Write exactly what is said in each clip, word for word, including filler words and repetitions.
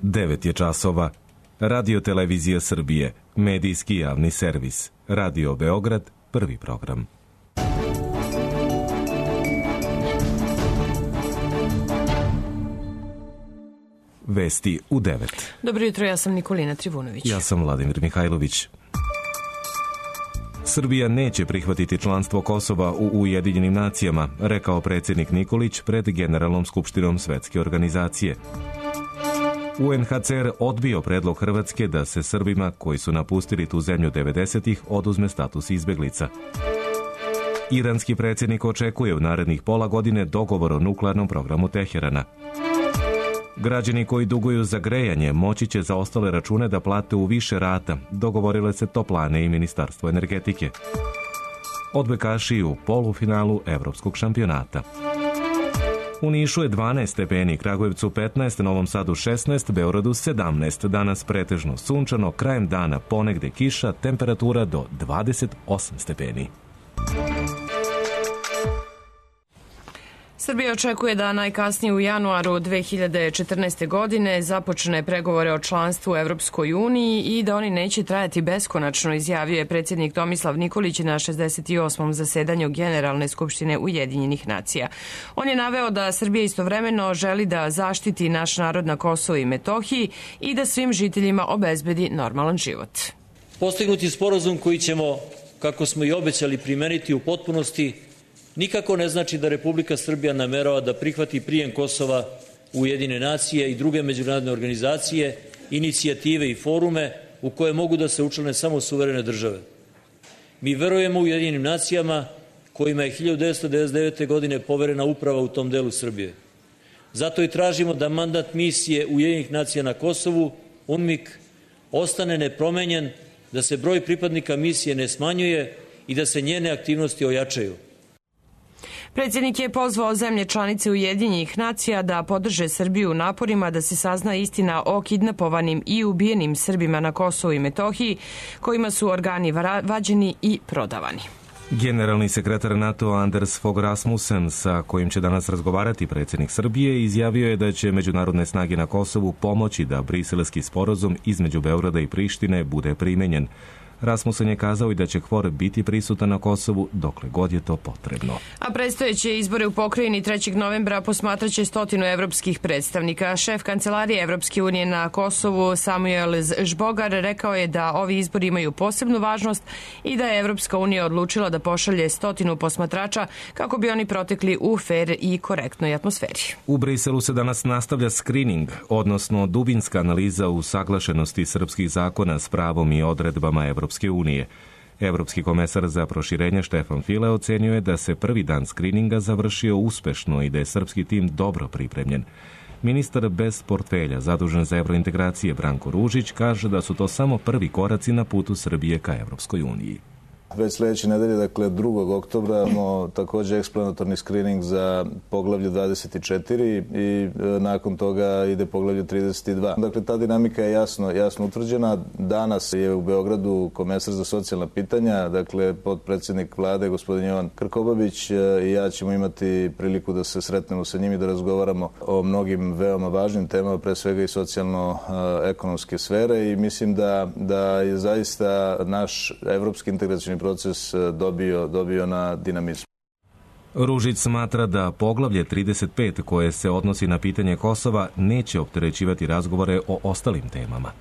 devet je časova. Radio Televizija Srbije, medijski javni servis. Radio Beograd, prvi program. Vesti u devet. Dobro jutro, ja sam Nikolina Trivunović. Ja sam Vladimir Mihajlović. Srbija neće prihvatiti članstvo Kosova u Ujedinjenim nacijama, rekao predsjednik Nikolić pred Generalnom skupštinom Svetske organizacije. U en ha ce er odbio predlog Hrvatske da se Srbima koji su napustili tu zemlju devedesetih oduzme status izbeglica. Iranski predsjednik očekuje u narednih pola godine dogovor o nuklearnom programu Teherana. Građani koji duguju za grejanje moći će za ostale račune da plate u više rata, dogovorile se Toplane i Ministarstvo energetike. Odbojkaši u polufinalu Evropskog šampionata. U Nišu je dvanaest stepeni, Kragujevcu petnaest, Novom Sadu šesnaest, Beogradu sedamnaest. Danas pretežno sunčano, krajem dana ponegde kiša, temperatura do dvadeset osam stepeni. Srbija očekuje da najkasnije u januaru dve hiljade četrnaeste. godine započne pregovore o članstvu u Evropskoj uniji i da oni neće trajati beskonačno, izjavio je predsjednik Tomislav Nikolić na šezdeset osmom zasedanju Generalne skupštine Ujedinjenih nacija. On je naveo da Srbija istovremeno želi da zaštiti naš narod na Kosovu i Metohiji i da svim žiteljima obezbedi normalan život. Postignuti sporazum koji ćemo, kako smo i obećali, primeniti u potpunosti nikako ne znači da Republika Srbija namerava da prihvati prijem Kosova u Ujedinjene nacije i druge međunarodne organizacije, inicijative i forume u koje mogu da se učlane samo suverene države. Mi verujemo u Ujedinjenim nacijama kojima je hiljadu devetsto devedeset devete. godine poverena uprava u tom delu Srbije. Zato i tražimo da mandat misije Ujedinjenih nacija na Kosovu, UNMIK, ostane nepromenjen, da se broj pripadnika misije ne smanjuje i da se njene aktivnosti ojačaju. Predsjednik je pozvao zemlje članice Ujedinjenih nacija da podrže Srbiju u naporima da se sazna istina o kidnapovanim i ubijenim Srbima na Kosovu i Metohiji, kojima su organi vađeni i prodavani. Generalni sekretar NATO Anders Fogh Rasmussen, sa kojim će danas razgovarati predsjednik Srbije, izjavio je da će međunarodne snage na Kosovu pomoći da briselski sporazum između Beograda i Prištine bude primenjen. Rasmussen je kazao i da će K F O R biti prisutan na Kosovu dokle god je to potrebno. A predstojeće izbore u pokrajini trećeg novembra posmatraće stotinu evropskih predstavnika. Šef Kancelarije Evropske unije na Kosovu Samuel Žbogar rekao je da ovi izbori imaju posebnu važnost i da je Evropska unija odlučila da pošalje stotinu posmatrača kako bi oni protekli u fer i korektnoj atmosferi. U Briselu se danas nastavlja screening, odnosno dubinska analiza usaglašenosti srpskih zakona s pravom i odredbama Evropske Evropske unije. Evropski komesar za proširenje Štefan File ocenio je da se prvi dan skrininga završio uspešno i da je srpski tim dobro pripremljen. Ministar bez portfelja zadužen za evrointegracije Branko Ružić kaže da su to samo prvi koraci na putu Srbije ka Evropskoj uniji. Već sljedeće nedelje, dakle drugog oktobra, imamo također eksplanatorni screening za poglavlje dvadeset četiri i nakon toga ide poglavlje trideset dva. Dakle, ta dinamika je jasno, jasno utvrđena. Danas je u Beogradu komesar za socijalna pitanja, dakle potpredsjednik vlade, gospodin Jovan Krkobabić, i ja ćemo imati priliku da se sretnemo sa njim i da razgovaramo o mnogim veoma važnim temama, pre svega i socijalno-ekonomske sfere, i mislim da, da je zaista naš evropski integracioni proces dobio, dobio na dinamizmu. Ružić smatra da poglavlje trideset pet, koje se odnosi na pitanje Kosova, neće opterećivati razgovore o ostalim temama.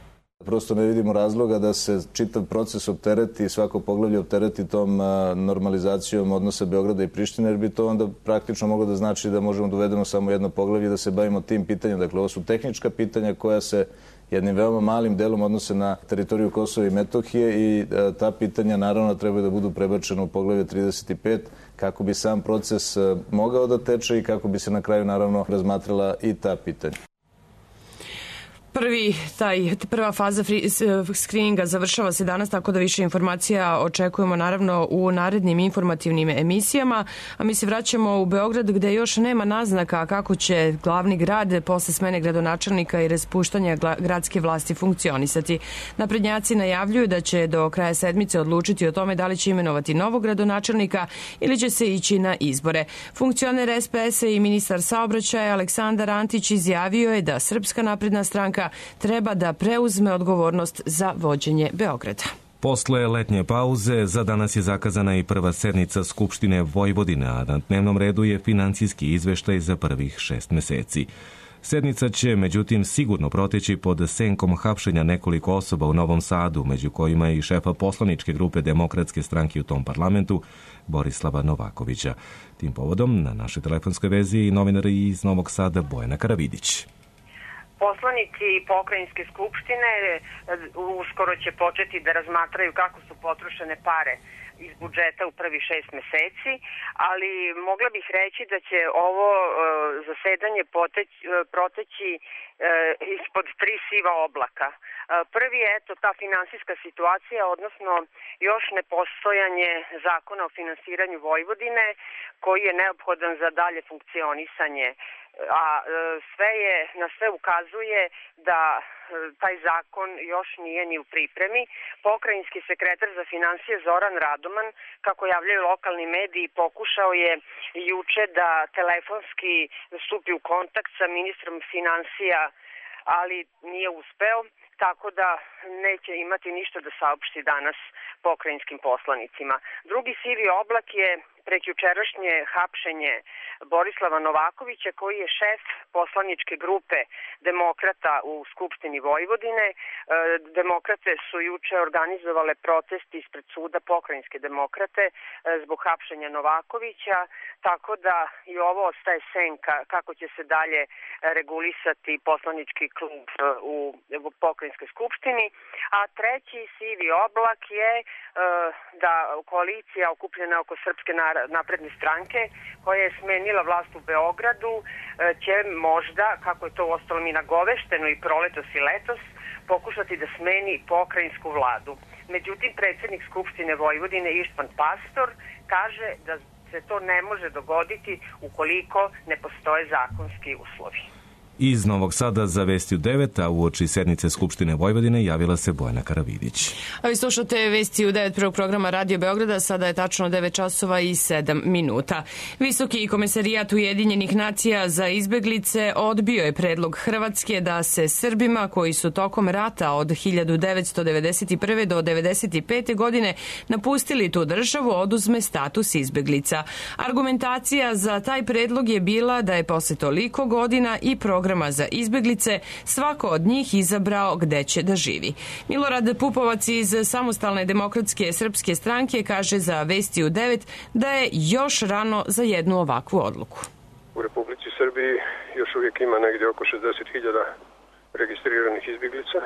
Prosto ne vidimo razloga da se čitav proces optereti, svako poglavlje optereti tom normalizacijom odnosa Beograda i Prištine, jer bi to onda praktično moglo da znači da možemo da uvedemo samo jedno poglavlje i da se bavimo tim pitanjem. Dakle, ovo su tehnička pitanja koja se jednim veoma malim delom odnose na teritoriju Kosova i Metohije i ta pitanja naravno trebaju da budu prebačena u poglavlje trideset pet kako bi sam proces mogao da teče i kako bi se na kraju naravno razmatrala i ta pitanja. Prvi, taj, prva faza screeninga završava se danas, tako da više informacija očekujemo naravno u narednim informativnim emisijama, a mi se vraćamo u Beograd gde još nema naznaka kako će glavni grad posle smene gradonačelnika i raspuštanja gradske vlasti funkcionisati. Naprednjaci najavljuju da će do kraja sedmice odlučiti o tome da li će imenovati novog gradonačelnika ili će se ići na izbore. Funkcioner es pe es i ministar saobraćaja Aleksandar Antić izjavio je da Srpska napredna stranka Srbija treba da preuzme odgovornost za vođenje Beograda. Posle letnje pauze za danas je zakazana i prva sednica Skupštine Vojvodine, a na dnevnom redu je finansijski izveštaj za prvih šest meseci. Sednica će, međutim, sigurno proteći pod senkom hapšenja nekoliko osoba u Novom Sadu, među kojima i šefa poslaničke grupe Demokratske stranke u tom parlamentu, Borislava Novakovića. Tim povodom na našoj telefonskoj vezi i novinar iz Novog Sada Bojana Karavidić. Poslanici pokrajinske skupštine uskoro će početi da razmatraju kako su potrošene pare iz budžeta u prvi šest meseci, ali mogla bih reći da će ovo zasedanje poteći, proteći ispod tri siva oblaka. Prvi je eto ta finansijska situacija, odnosno još nepostojanje zakona o finansiranju Vojvodine koji je neophodan za dalje funkcionisanje, a sve je, na sve ukazuje da taj zakon još nije ni u pripremi. Pokrajinski sekretar za finansije Zoran Radoman, kako javljaju lokalni mediji, pokušao je juče da telefonski stupi u kontakt sa ministrom finansija, ali nije uspeo, tako da neće imati ništa da saopšti danas pokrajinskim poslanicima. Drugi sivi oblak je prekjučerašnje hapšenje Borislava Novakovića, koji je šef poslaničke grupe Demokrata u Skupštini Vojvodine. Demokrate su juče organizovale protest ispred suda Pokrajinske demokrate zbog hapšenja Novakovića, tako da i ovo ostaje senka kako će se dalje regulisati poslanički klub u Pokrajinskoj skupštini. A treći sivi oblak je da koalicija okupljena oko Srpske napredne stranke, koja je smenila vlast u Beogradu, će možda, kako je to uostalom i nagovešteno i proletos i letos, pokušati da smeni pokrajinsku vladu. Međutim, predsjednik Skupštine Vojvodine Ištvan Pastor kaže da se to ne može dogoditi ukoliko ne postoje zakonski uslovi. Iz Novog Sada za Vesti u devet, a uoči sednice Skupštine Vojvodine javila se Bojana Karavidić. A vi slušate Vesti u devet prvog programa Radio Beograda, sada je tačno devet časova i sedam minuta. Visoki komesarijat Ujedinjenih nacija za izbeglice odbio je predlog Hrvatske da se Srbima koji su tokom rata od hiljadu devetsto devedeset prve do devedeset pete godine napustili tu državu oduzme status izbeglica. Argumentacija za taj predlog je bila da je posle toliko godina i program programa za izbeglice svako od njih izabrao gde će da živi. Milorad Pupovac iz Samostalne demokratske srpske stranke kaže za Vesti u devet da je još rano za jednu ovakvu odluku. U Republici Srbiji još uvijek ima negdje oko šezdeset hiljada registriranih izbeglica.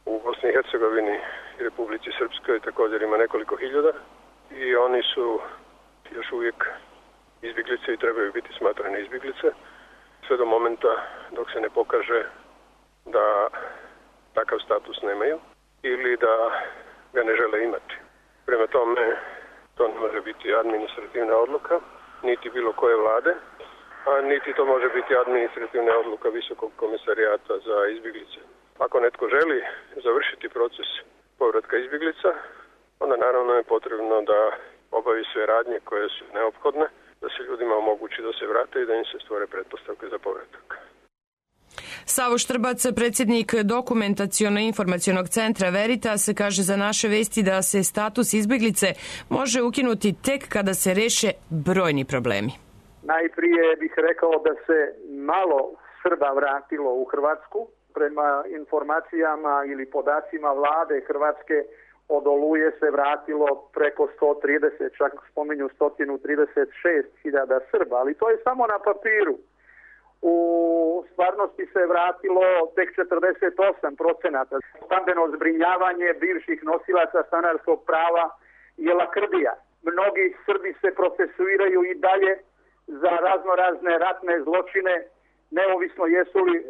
U Bosni i Hercegovini i Republici Srpskoj također ima nekoliko hiljada i oni su još uvijek izbeglice i trebaju biti smatrane izbeglice sve do momenta dok se ne pokaže da takav status nemaju ili da ga ne žele imati. Prema tome, to ne može biti administrativna odluka, niti bilo koje vlade, a niti to može biti administrativna odluka Visokog komesarijata za izbjeglice. Ako netko želi završiti proces povratka izbjeglica, onda naravno je potrebno da obavi sve radnje koje su neophodne, da se ljudima omogući da se vrate i da im se stvore pretpostavke za povratak. Savo Štrbac, predsjednik Dokumentaciono-informacionog centra Veritas, kaže za naše vesti da se status izbjeglice može ukinuti tek kada se reše brojni problemi. Najprije bih rekao da se malo Srba vratilo u Hrvatsku. Prema informacijama ili podacima vlade Hrvatske od Oluje se vratilo preko sto trideset, čak spominju sto trideset šest hiljada Srba, ali to je samo na papiru. U stvarnosti se vratilo tek četrdeset osam procenata. Stambeno zbrinjavanje bivših nosilaca stanarskog prava je lakrdija. Mnogi Srbi se procesuiraju i dalje za razno razne ratne zločine, neovisno jesu li e,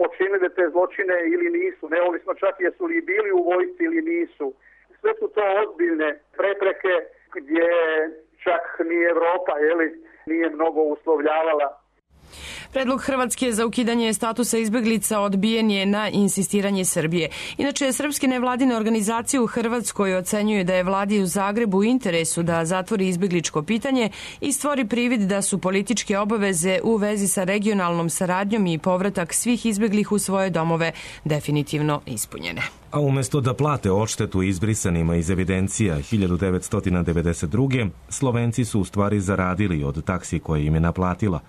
počinili te zločine ili nisu, neovisno čak jesu li bili u vojsci ili nisu. Sve su to ozbiljne prepreke gdje čak ni Evropa jeli, nije mnogo uslovljavala. Predlog Hrvatske za ukidanje statusa izbeglica odbijen je na insistiranje Srbije. Inače, srpske nevladine organizacije u Hrvatskoj ocenjuju da je vladi u Zagrebu u interesu da zatvori izbegličko pitanje i stvori privid da su političke obaveze u vezi sa regionalnom saradnjom i povratak svih izbeglih u svoje domove definitivno ispunjene. A umjesto da plate odštetu izbrisanima iz evidencija hiljadu devetsto devedeset druge. Slovenci su u stvari zaradili od taksi koje im je naplatila.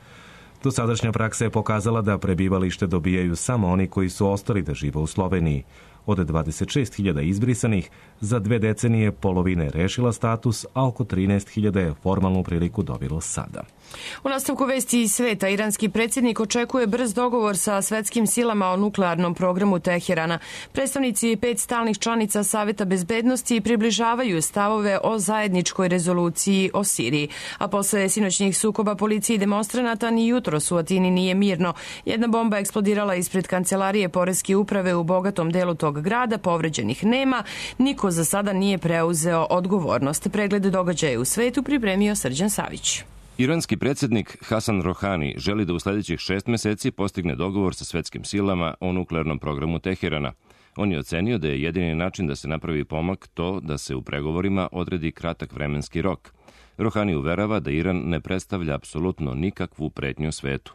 Dosadašnja praksa je pokazala da prebivalište dobijaju samo oni koji su ostali da žive u Sloveniji. Od dvadeset šest hiljada izbrisanih, za dve decenije polovina je rešila status, a oko trinaest hiljada je formalnu priliku dobilo sada. U nastavku vesti iz sveta, iranski predsjednik očekuje brz dogovor sa svetskim silama o nuklearnom programu Teherana. Predstavnici pet stalnih članica Saveta bezbednosti približavaju stavove o zajedničkoj rezoluciji o Siriji. A posle sinoćnih sukoba policije i demonstranata ni jutros u Atini nije mirno. Jedna bomba eksplodirala ispred kancelarije poreske uprave u bogatom delu tog grada, povređenih nema, niko za sada nije preuzeo odgovornost. Pregled događaja u svetu pripremio Srđan Savić. Iranski predsjednik Hasan Rohani želi da u sljedećih šest meseci postigne dogovor sa svetskim silama o nuklearnom programu Teherana. On je ocenio da je jedini način da se napravi pomak to da se u pregovorima odredi kratak vremenski rok. Rohani uverava da Iran ne predstavlja apsolutno nikakvu pretnju svetu.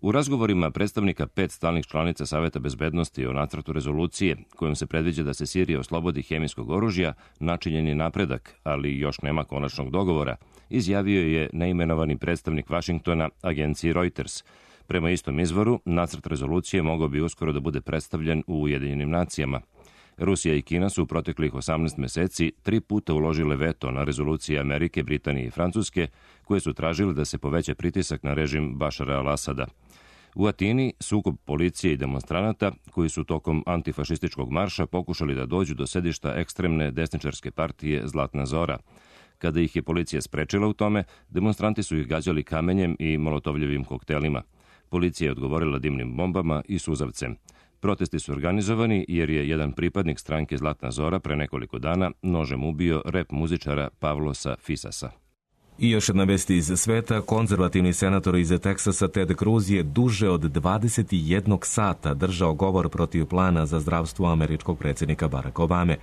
U razgovorima predstavnika pet stalnih članica Saveta bezbednosti o nacrtu rezolucije, kojom se predviđa da se Sirija oslobodi hemijskog oružja, načinjen je napredak, ali još nema konačnog dogovora, izjavio je neimenovani predstavnik Vašingtona agenciji Reuters. Prema istom izvoru, nacrt rezolucije mogao bi uskoro da bude predstavljen u Ujedinjenim nacijama. Rusija i Kina su u proteklih osamnaest meseci tri puta uložile veto na rezolucije Amerike, Britanije i Francuske, koje su tražile da se poveća pritisak na režim Bašara al-Asada. U Atini sukob policije i demonstranata, koji su tokom antifašističkog marša pokušali da dođu do sedišta ekstremne desničarske partije Zlatna Zora. Kada ih je policija sprečila u tome, demonstranti su ih gađali kamenjem i molotovljevim koktelima. Policija je odgovorila dimnim bombama i suzavcem. Protesti su organizovani jer je jedan pripadnik stranke Zlatna Zora pre nekoliko dana nožem ubio rep muzičara Pavlosa Fisasa. I još jedna vest iz sveta, konzervativni senator iz Teksasa Ted Cruz je duže od dvadeset jedan sata držao govor protiv plana za zdravstvo američkog predsjednika Baracka Obame.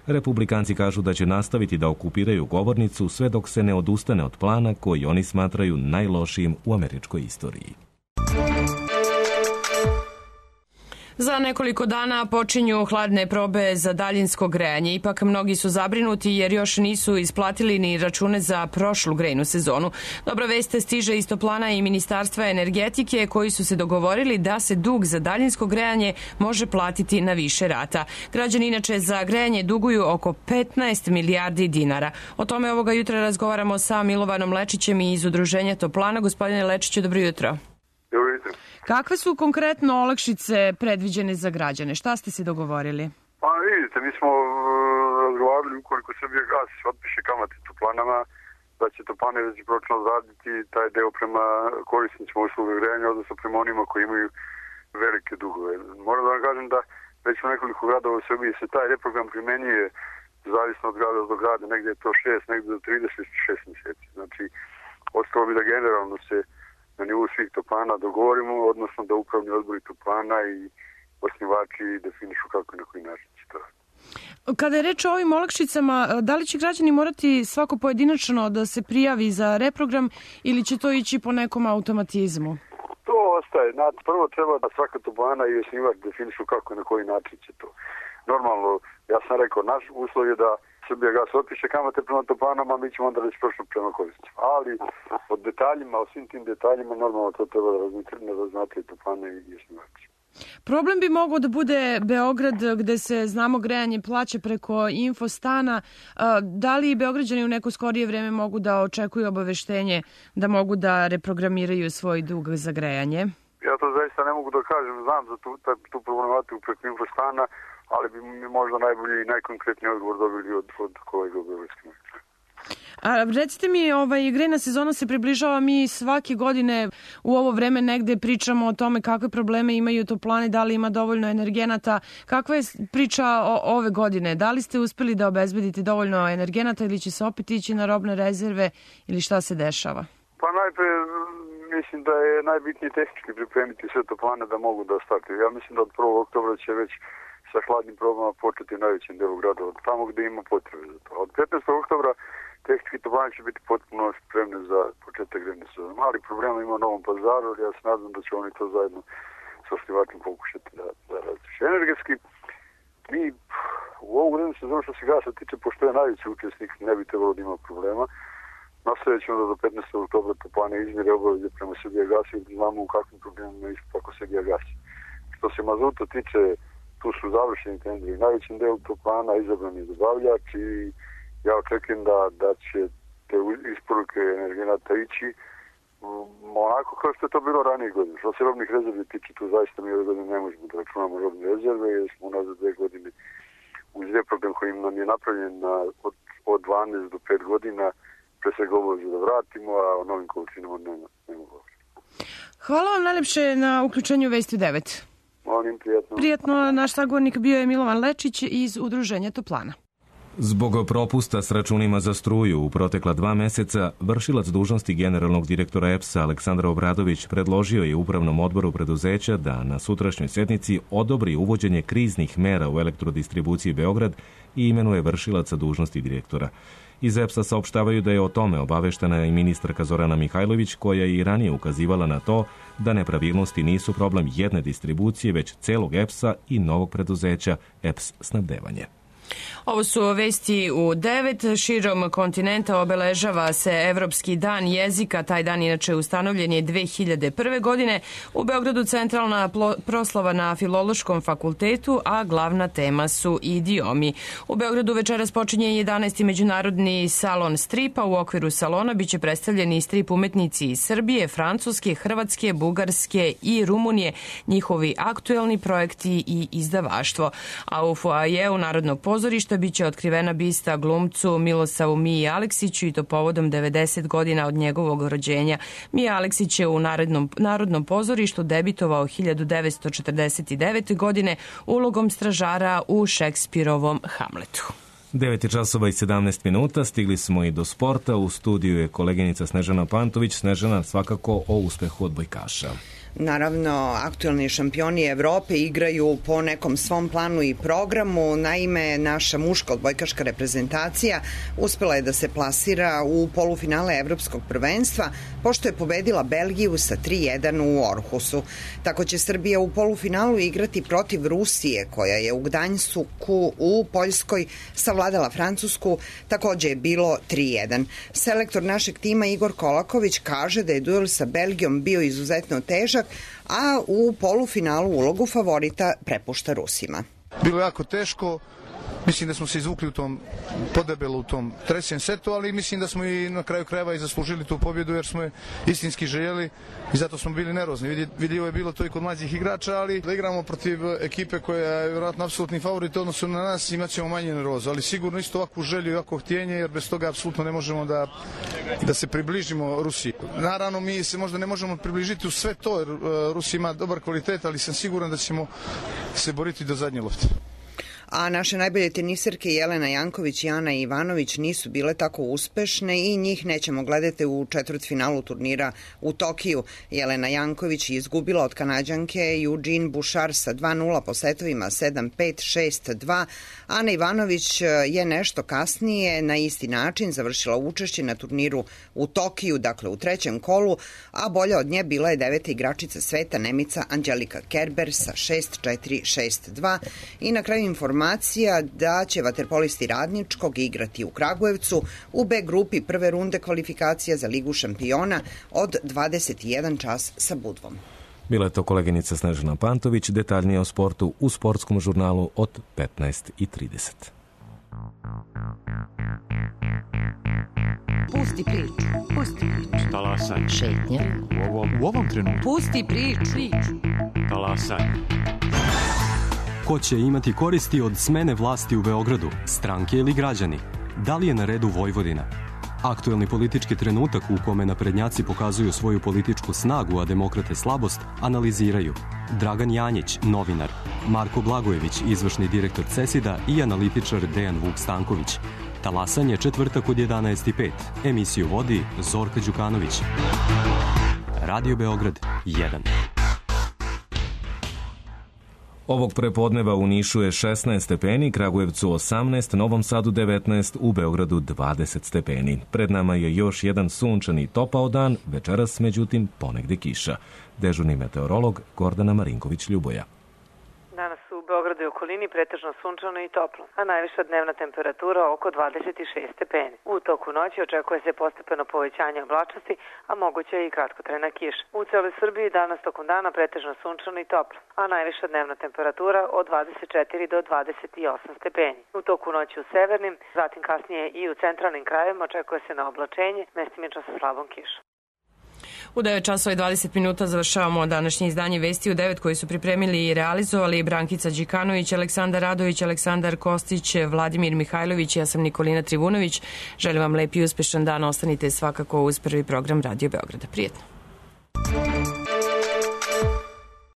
Republikanci kažu da će nastaviti da okupiraju govornicu sve dok se ne odustane od plana koji oni smatraju najlošijim u američkoj istoriji. Za nekoliko dana počinju hladne probe za daljinsko grejanje. Ipak mnogi su zabrinuti jer još nisu isplatili ni račune za prošlu grejnu sezonu. Dobra vest stiže iz toplana i Ministarstva energetike koji su se dogovorili da se dug za daljinsko grejanje može platiti na više rata. Građani inače za grejanje duguju oko petnaest milijardi dinara. O tome ovoga jutra razgovaramo sa Milovanom Lečićem iz Udruženja Toplana. Gospodine Lečiću, dobro jutro. Dobro jutro. Kakve su konkretno olakšice predviđene za građane? Šta ste se dogovorili? Pa vidite, mi smo razgovarali ukoliko Srbija gas otpiše kamate toplanama, da će toplane recipročno zaditi taj deo prema korisnicima usluga grejanja, odnosno prema onima koji imaju velike dugove. Moram da vam kažem da već u nekoliko gradova u Srbiji se taj reprogram primenjuje zavisno od grada do grada, negdje je to šest, negdje do trideset šest mjeseci. Znači, ostalo bi da generalno se na nivou svih toplana dogovorimo, odnosno da upravni odbori toplana i osnivači definišu kako i na koji način će to. Kada je reč o ovim olakšicama, da li će građani morati svako pojedinačno da se prijavi za reprogram ili će to ići po nekom automatizmu? To ostaje. Prvo treba da svaka toplana i osnivač definišu kako i na koji način će to. Normalno, ja sam rekao, naš uslov je da Srbija gas otpiše kamate prema toplanama, mi ćemo onda reći prošlo prema korisnicima. Ali o detaljima, o svim tim detaljima, normalno to treba da razmatrati toplane i osnivači. Problem bi mogao da bude Beograd, gde se, znamo, grejanje plaća preko infostana. Da li Beograđani u neko skorije vreme mogu da očekuju obaveštenje da mogu da reprogramiraju svoj dug za grejanje? Ja to zaista ne mogu da kažem. Znam za tu, tu problematiku preko infostana, ali bi mi možda najbolji i najkonkretniji odgovor dobili od, od kolega u Beogradskim. A recite mi, ovaj, grejna sezona se približava, mi svake godine u ovo vreme negde pričamo o tome kakve probleme imaju toplane, da li ima dovoljno energenata. Kakva je priča o, ove godine? Da li ste uspeli da obezbedite dovoljno energenata ili će se opet ići na robne rezerve ili šta se dešava? Pa najpre mislim da je najbitnije tehnički pripremiti sve to plane da mogu da startuju. Ja mislim da od prvog oktobra će već sa hladnim probama početi u najvećem delu grada, od tamo gde ima potrebe za to. Od petnaestog oktobra tehnički toplane će biti potpuno spremne za početak grejne sezone. Mali problema ima u Novom Pazaru, ali ja se nadam da će oni to zajedno sa osnivačem pokušati da, da različe. Energetski, mi u ovu grejnu sezonu što se gasa tiče, pošto je najveći učesnik, ne bi trebalo da ima problema. Nastavit ćemo da do petnaestog oktobra toplane izmire obaveze prema Srbijagasu i znamo u kakvim problemima je isto tako Srbijagas. Što se mazuta tiče, tu su završeni tenderi. Najvećem delu toplana izabran je dobavljač i ja očekujem da, da će te isporuke energenata ići onako kao što je to bilo ranije godine. Što se robnih rezervi tiče, tu zaista mi ove godine ne možemo da računamo robne rezerve, jer smo unazad dve godine uz reprogram koji nam je napravljen na, od, od dvanaest do pet godina pre svega obavezu da vratimo, a o novim količinama nema, nema govora. Hvala vam najlepše na uključenju Vesti u devet. Molim, prijatno. Prijatno, naš sagovornik bio je Milovan Lečić iz Udruženja Toplana. Zbog propusta s računima za struju u protekla dva meseca, vršilac dužnosti generalnog direktora E P S-a Aleksandar Obradović predložio je Upravnom odboru preduzeća da na sutrašnjoj sednici odobri uvođenje kriznih mera u elektrodistribuciji Beograd i imenuje vršilaca dužnosti direktora. Iz E P S-a saopštavaju da je o tome obaveštena i ministarka Zorana Mihajlović, koja je i ranije ukazivala na to da nepravilnosti nisu problem jedne distribucije, već celog E P S-a i novog preduzeća E P S snabdevanje. Ovo su vesti u devet. Širom kontinenta obeležava se Evropski dan jezika. Taj dan inače ustanovljen je dve hiljade prve. godine. U Beogradu centralna proslava na Filološkom fakultetu, a glavna tema su idiomi. U Beogradu večeras počinje jedanaesti međunarodni salon stripa. U okviru salona biće predstavljeni strip umetnici iz Srbije, Francuske, Hrvatske, Bugarske i Rumunije, njihovi aktuelni projekti i izdavaštvo. A u foajeu Narodnog pozorišta biće otkrivena bista glumcu Milosavu Miji Aleksiću i to povodom devedeset godina od njegovog rođenja. Mija Aleksić je u Narodnom, Narodnom pozorištu debitovao hiljadu devetsto četrdeset devete. godine ulogom stražara u Šekspirovom Hamletu. devet časova i sedamnaest minuta, stigli smo i do sporta. U studiju je koleginica Snežana Pantović. Snežana, svakako o uspehu odbojkaša. Naravno, aktuelni šampioni Evrope igraju po nekom svom planu i programu. Naime, naša muška odbojkaška reprezentacija uspela je da se plasira u polufinale Evropskog prvenstva, pošto je pobedila Belgiju sa tri jedan u Orhusu. Tako će Srbija u polufinalu igrati protiv Rusije, koja je u Gdanjsku u Poljskoj savladala Francusku, takođe je bilo tri jedan. Selektor našeg tima Igor Kolaković kaže da je duel sa Belgijom bio izuzetno težak, a u polufinalu ulogu favorita prepušta Rusima. Bilo je jako teško. Mislim da smo se izvukli u tom podebelo u tom trećem setu, ali mislim da smo i na kraju krajeva i zaslužili tu pobjedu jer smo je istinski željeli i zato smo bili nervozni. Vidljivo je bilo to i kod mlađih igrača, ali da igramo protiv ekipe koja je vjerojatno apsolutni favorit u odnosu na nas, imat ćemo manje nervozu, ali sigurno isto ovakvu želju i ovakvo htjenje, jer bez toga apsolutno ne možemo da, da se približimo Rusiji. Naravno, mi se možda ne možemo približiti u sve to, jer Rusija ima dobar kvalitet, ali sam siguran da ćemo se boriti do zadnje lopte. A naše najbolje teniserke Jelena Janković i Ana Ivanović nisu bile tako uspešne i njih nećemo gledati u četvrtfinalu turnira u Tokiju. Jelena Janković je izgubila od Kanađanke Eugene Bouchard sa dva nula po setovima sedam pet, šest dva. Ana Ivanović je nešto kasnije na isti način završila učešće na turniru u Tokiju, dakle u trećem kolu, a bolja od nje bila je deveta igračica sveta Nemica Angelika Kerber sa šest četiri, šest dva. I na kraju informacija da će vaterpolisti Radničkog igrati u Kragujevcu u B grupi prve runde kvalifikacija za Ligu šampiona od dvadeset jedan čas sa Budvom. Bila je to koleginica Snežana Pantović, detaljnije o sportu u sportskom žurnalu od petnaest i trideset. Pusti priču, pusti priču. Talasaj. Šetnja. U ovom, u ovom trenutku. Pusti priču. Talasaj. Ko će imati koristi od smene vlasti u Beogradu, stranke ili građani? Da li je na redu Vojvodina? Aktuelni politički trenutak u kome naprednjaci pokazuju svoju političku snagu, a demokrate slabost, analiziraju Dragan Janjić, novinar, Marko Blagojević, izvršni direktor CESID-a i analitičar Dejan Vuk Stanković. Talasanje četvrtak od jedanaest i pet. Emisiju vodi Zorka Đukanović. Radio Beograd jedan. Ovog prepodneva u Nišu je šesnaest stepeni, Kragujevcu osamnaest, Novom Sadu devetnaest, u Beogradu dvadeset stepeni. Pred nama je još jedan sunčani topao dan, večeras međutim ponegde kiša. Dežurni meteorolog Gordana Marinković-Ljuboja. Danas u Beogradu i okolini pretežno sunčano i toplo, a najviša dnevna temperatura oko dvadeset šest stepeni. U toku noći očekuje se postepeno povećanje oblačnosti, a moguće je i kratkotrajna kiša. U celoj Srbiji danas tokom dana pretežno sunčano i toplo, a najviša dnevna temperatura od dvadeset četiri do dvadeset osam stepeni. U toku noći u severnim, zatim kasnije i u centralnim krajevima očekuje se na oblačenje, mestimično sa slabom kišom. U devet časova i dvadeset minuta završavamo današnje izdanje Vesti u devet koji su pripremili i realizovali Brankica Đikanović, Aleksandar Radović, Aleksandar Kostić, Vladimir Mihajlović, ja sam Nikolina Trivunović. Želim vam lep i uspešan dan, ostanite svakako uz prvi program Radio Beograda. Prijetno.